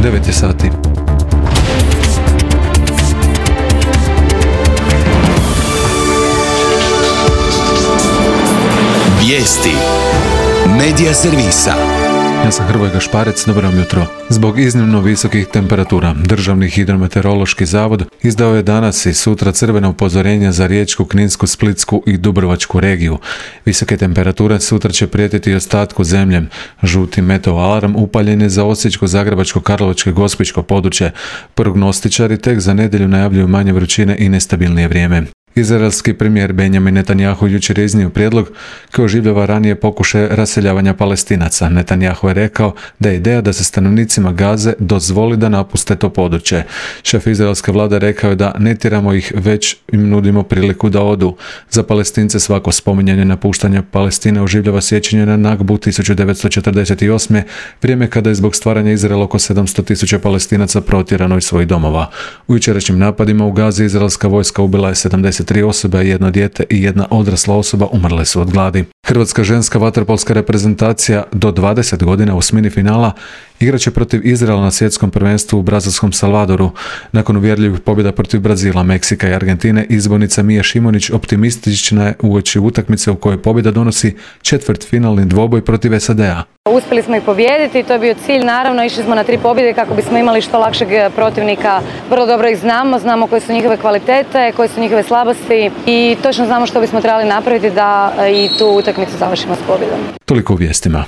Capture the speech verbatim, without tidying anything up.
devet je sati. Vijesti Medija servisa. Ja sam Hrvoje Gašparec, dobro vam jutro. Zbog iznimno visokih temperatura, Državni hidrometeorološki zavod izdao je danas i sutra crvena upozorenja za Riječku, Kninsku, Splitsku i Dubrovačku regiju. Visoke temperature sutra će prijetiti i ostatku zemlje. Žuti meteo alarm upaljen je za Osječko, Zagrebačko, Karlovačko i Gospićko područje. Prognostičari tek za nedjelju najavljuju manje vrućine i nestabilnije vrijeme. Izraelski premijer Benjamin Netanjahu jučer je iznio prijedlog koji oživljava ranije pokušaje raseljavanja Palestinaca. Netanjahu je rekao da je ideja da se stanovnicima Gaze dozvoli da napuste to područje. Šef izraelske vlade rekao je da ne tjeramo ih, već im nudimo priliku da odu. Za Palestince svako spominjanje napuštanja Palestine oživljava sjećanje na Nakbu tisuću devetsto četrdeset osme. vrijeme kada je zbog stvaranja Izraela oko sedamsto tisuća Palestinaca protjerano iz svojih domova. U jučerašnjim napadima u Gazi izraelska vojska ubila je sedamdeset tri osobe, jedno dijete i jedna odrasla osoba umrle su od gladi. Hrvatska ženska vaterpolska reprezentacija do dvadeset godina u osmini finala igraće protiv Izraela na svjetskom prvenstvu u brazilskom Salvadoru. Nakon uvjerljivih pobjeda protiv Brazila, Meksika i Argentine, izbornica Mija Šimonić optimistična je uoči utakmice u kojoj pobjeda donosi četvrtfinalni dvoboj protiv S A D-a. Uspjeli smo ih pobijediti, to je bio cilj, naravno išli smo na tri pobjede kako bismo imali što lakšeg protivnika. Vrlo dobro ih znamo, znamo koje su njihove kvalitete, koje su njihove slabosti i točno znamo što bismo trebali napraviti da i tu utakmicu završimo s pobjedom. Toliko u vijestima.